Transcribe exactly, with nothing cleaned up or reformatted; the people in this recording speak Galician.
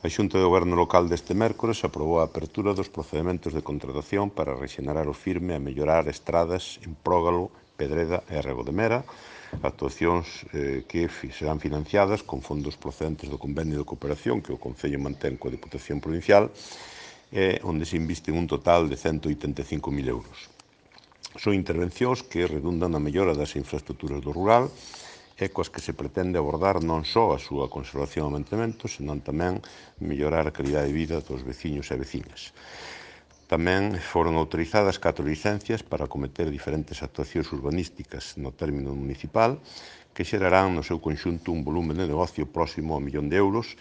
A Xunta de Goberno Local deste mércores aprobou a apertura dos procedementos de contratación para rexenerar o firme e mellorar estradas en Prógalo, Pedreda e Rego de Mera, actuacións eh, que serán financiadas con fondos procedentes do convenio de cooperación que o Concello mantén coa Diputación Provincial, eh, onde se invisten un total de cento oitenta e cinco mil euros. Son intervencións que redundan na mellora das infraestructuras do rural e coas que se pretende abordar non só a súa conservación e mantemento, senón tamén mellorar a calidade de vida dos veciños e veciñas. Tamén foron autorizadas catro licencias para acometer diferentes actuacións urbanísticas no término municipal que xerarán no seu conxunto un volumen de negocio próximo ao millón de euros